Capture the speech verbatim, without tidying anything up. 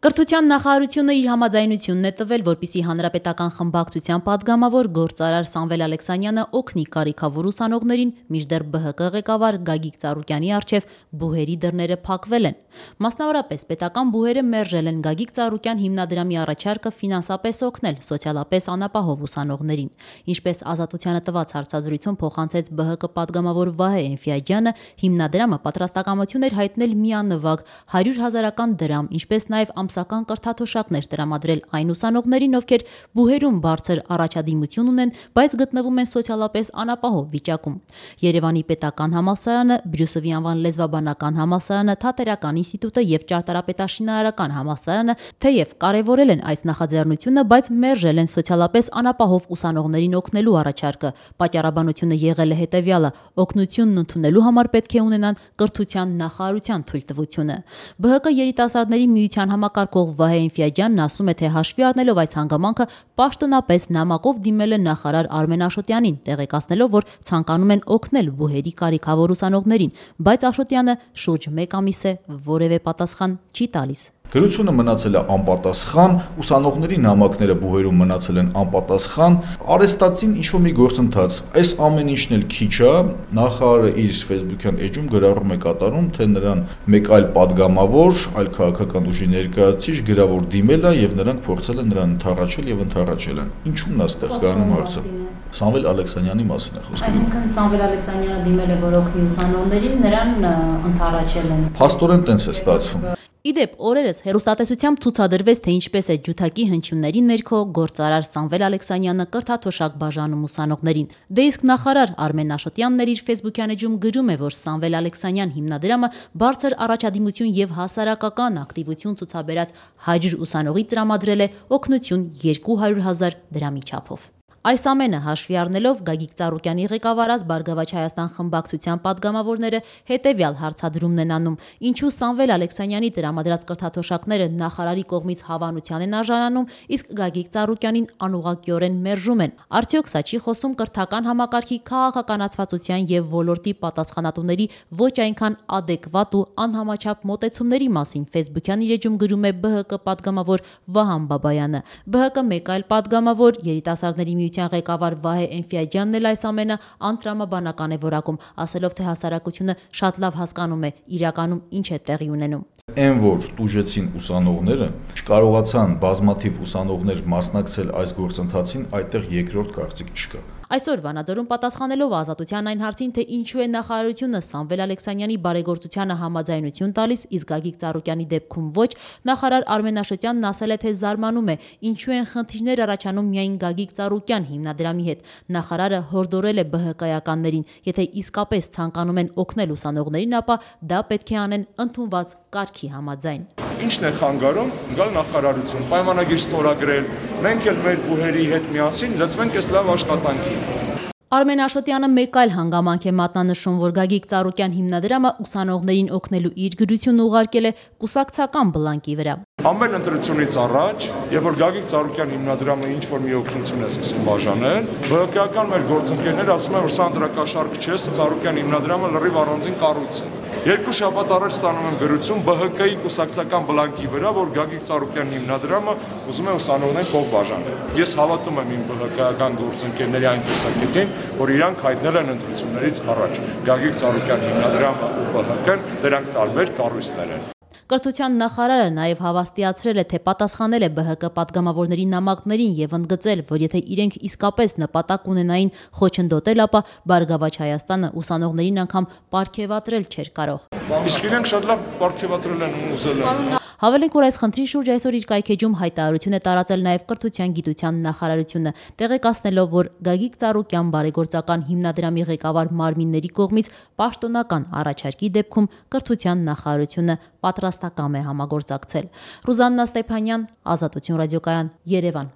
Կրթության նախարարությունը իր համաձայնությունն է տվել, որպեսզի հանրապետական խմբակցության պատգամավոր գործարար Սամվել Ալեքսանյանը օգնի կարիքավոր ուսանողներին, մինչդեռ Բ Հ Կ ղեկավար Գագիկ Ծառուկյանի առջև բուհերի դռները փակվել են։ Մասնավորապես պետական բուհերը մերժել են Գագիկ Ծառուկյան հիմնադրամի առաջարկը ֆինանսապես օգնել սոցիալապես անապահով ուսանողներին։ Ինչպես Ազատությանը տված հարցազրույցում փոխանցեց Բ Հ Կ պատգամավոր Վահե Էնֆիաջյանը, հիմնադրամը պատրաստակամություն էր հայտնել միանվագ հարյուր հազարական դրամ, ինչպես նաև ամսական կրթաթոշակներ տրամադրել այն ուսանողներին, ովքեր բուհերում բարձր առաջադիմություն ունեն, բայց գտնվում են սոցիալապես անապահով վիճակում։ Երևանի պետական համալսարանը, Բրյուսովի անվան լեզվաբանական համալսարանը, Թատերական ինստիտուտը եւ Ճարտարապետաշինարարական համալսարանը թեև կարևորել են այս նախաձեռնությունը, բայց մերժել են սոցիալապես անապահով ուսանողներին օգնելու առաջարկը։ Պատճառաբանությունը եղել է հետեւյալը՝ օգնությունն ընդունելու համար պետք է ունենան կրթության նախարարության թույլտվությունը։ Բ Հ Կ երիտասարդների միության համակարգող Վահե Էնֆիաջյանն ասում է, թե հաշվի առնելով այս հանգամանքը, պաշտոնապես նամակով դիմել է նախարար Արմեն Աշոտյանին, տեղեկացնելով, որ ցանկանում են օգնել բուհերի կարիքավոր ուսանողներին, բայց Աշոտյանը շուրջ մեկ ամիս է որևէ պատասխան չի տալիս։ Գրությունը մնացել է անպատասխան, ուսանողների նամակները բուհերում մնացել են անպատասխան, արեստացին ինչ-որ մի գործընթաց։ Այս ամեն ինչն էլ քիչ է, նախարարը իր Facebook-յան էջում գրառում է կատարում, թե նրան մեկ այլ падգամավոր, այլ քաղաքական ուժի ներկայացուցիչ գրավոր դիմել է եւ նրանք փորձել են նրան ընդառաջել եւ ընդառաջել են։ Ինչու՞մն է այստեղ կանում հարցը։ Սամվել Ալեքսանյանի մասին է խոսքը։ Այսինքն Սամվել Ալեքսանյանը դիմել է, որ օգնի ուսանողներին, նրան ընդառաջել են։ Փաստորեն տենց է ստացվում։ Իդեպ օրերս հեռուստատեսությամբ ցուցադրվեց, թե ինչպես է ջութակի հնչյունների ներքո գործարար Սամվել Ալեքսանյանը կրթաթոշակ բաժանում ուսանողներին։ Դե իսկ նախարար Արմեն Աշոտյանն իր Facebook-յան էջում գրում է, որ Սամվել Ալեքսանյան հիմնադրամը բարձր առաջադիմություն եւ հասարակական ակտիվություն ցուցաբերած հարյուր ուսանողի տրամադրել է օգնություն երկու հարյուր հազար դրամի չափով։ Այս ամենը հաշվի առնելով Գագիկ Ծառուկյանի ղեկավարած Բարգավաճ Հայաստան խմբակցության պատգամավորները հետևյալ հարցադրումն են անում. ինչու Սամվել Ալեքսանյանի տրամադրած կրթաթոշակները նախարարի կողմից հավանության են արժանանում, իսկ Գագիկ Ծառուկյանին անուղղակիորեն մերժում են։ Արդյոք սա չի խոսում կրթական համակարգի քաղաքականացվածության եւ ոլորտի պատասխանատուների ոչ այնքան ադեկվատ ու անհամաչափ մոտեցումների մասին Facebook-յան իր էջում գրում է Բ Հ Կ պատգամավոր Վահան Բաբայանը։ Բ Հ Կ մեկ այլ պատգամավոր երիտասարդների միության ղեկավար Վահե Էնֆիաջյանն էլ այս ամենը անտրամաբանական է որակում, ասելով, թե հասարակությունը շատ լավ հասկանում է իրականում ինչ է տեղի ունենում։ Այն որ տուժեցին ուսանողները, չկարողացան բազմաթիվ ուսանողներ մասնակցել այս գործընթացին, այդտեղ երկրորդ կարծիք չկա։ Այսօր Վանաձորում պատասխանելով Ազատության այն հարցին, թե ինչու է նախարարությունը Սամվել Ալեքսանյանի բարեգործությանը համաձայնություն տալիս, իսկ Գագիկ Ծառուկյանի դեպքում ոչ, նախարար Արմեն Աշոտյանն ասել է, թե զարմանում է, ինչու են խնդիրներ առաջանում միայն Գագիկ Ծառուկյան հիմնադրամի հետ։ Նախարարը հորդորել է Բ Հ Կ-ականներին, եթե իսկապես ցանկանում են օգնել ուսանողներին, ապա դա պետք է անեն ընդունված կարգի համաձայն։ Ինչն է խանգարում, գալ նախարարություն, պայմանագիր ստորագրել, մենք էլ մեր բուհերի հետ միասին լծվենք այս լավ աշխատանքի։ Արմեն Աշոտյանը մեկ այլ հանգամանք է մատնանշում, որ Գագիկ Ծառուկյան հիմնադրամը ուսանողներին օգնելու իր գրությունը ուղարկել է կուսակցական բլանկի վրա։ Ամեն ընտրությունից առաջ, երբ որ Գագիկ Ծառուկյան հիմնադրամը ինչ որ մի օգնություն է սկսում բաժանել, Բ Հ Կ-ական մեր գործընկերները ասում են, որ սա ընտրակաշարք չէ, Ծառուկյան հիմնադրամը լրիվ առանձին կառույց է։ Երկու շաբաթ առաջ ստանում եմ գրություն Բ Հ Կ-ի կուսակցական բլանկի վրա, որ Գագիկ Ծառուկյան հիմնադրամը ուզում է ուսանողներին փող բաժանել։ Ես հավատում եմ իմ Բ Հ Կ-ական գործընկերների այն տեսակետին, որ իրանք հայտնել են ընտրություններից առաջ։ Գագիկ Ծառուկյան հիմնադրամը ու Բ Հ Կ-ն դրանք տարբեր կառույցներ են։ Կրթության նախարարը նաև հավաստիացրել է, թե պատասխանել է Բ Հ Կ պատգամավորների նամակներին եւ ընդգծել, որ եթե իրենք իսկապես նպատակ ունենային խոչընդոտել, ապա Բարգավաճ Հայաստանը ուսանողներին անգամ պարգևատրել չէր կարող։ Իսկ իրենք շատ լավ պարգևատրել են ու ուզել են։ Հավելենք, որ այս խնդրի շուրջ այսօր իր կայքեջում հայտարարություն է տարածել նաև Կրթության գիտության նախարարությունը, տեղեկացնելով, որ Գագիկ Ծառուկյան բարեգործական հիմնադրամի ղեկավար մարմինների կողմից պաշտոնական առաջարկի դեպքում Կրթության նախարարությունը պատրաստակամ է համագործակցել։ Ռուզաննա Ստեփանյան, Ազատություն ռադիոկայան, Երևան։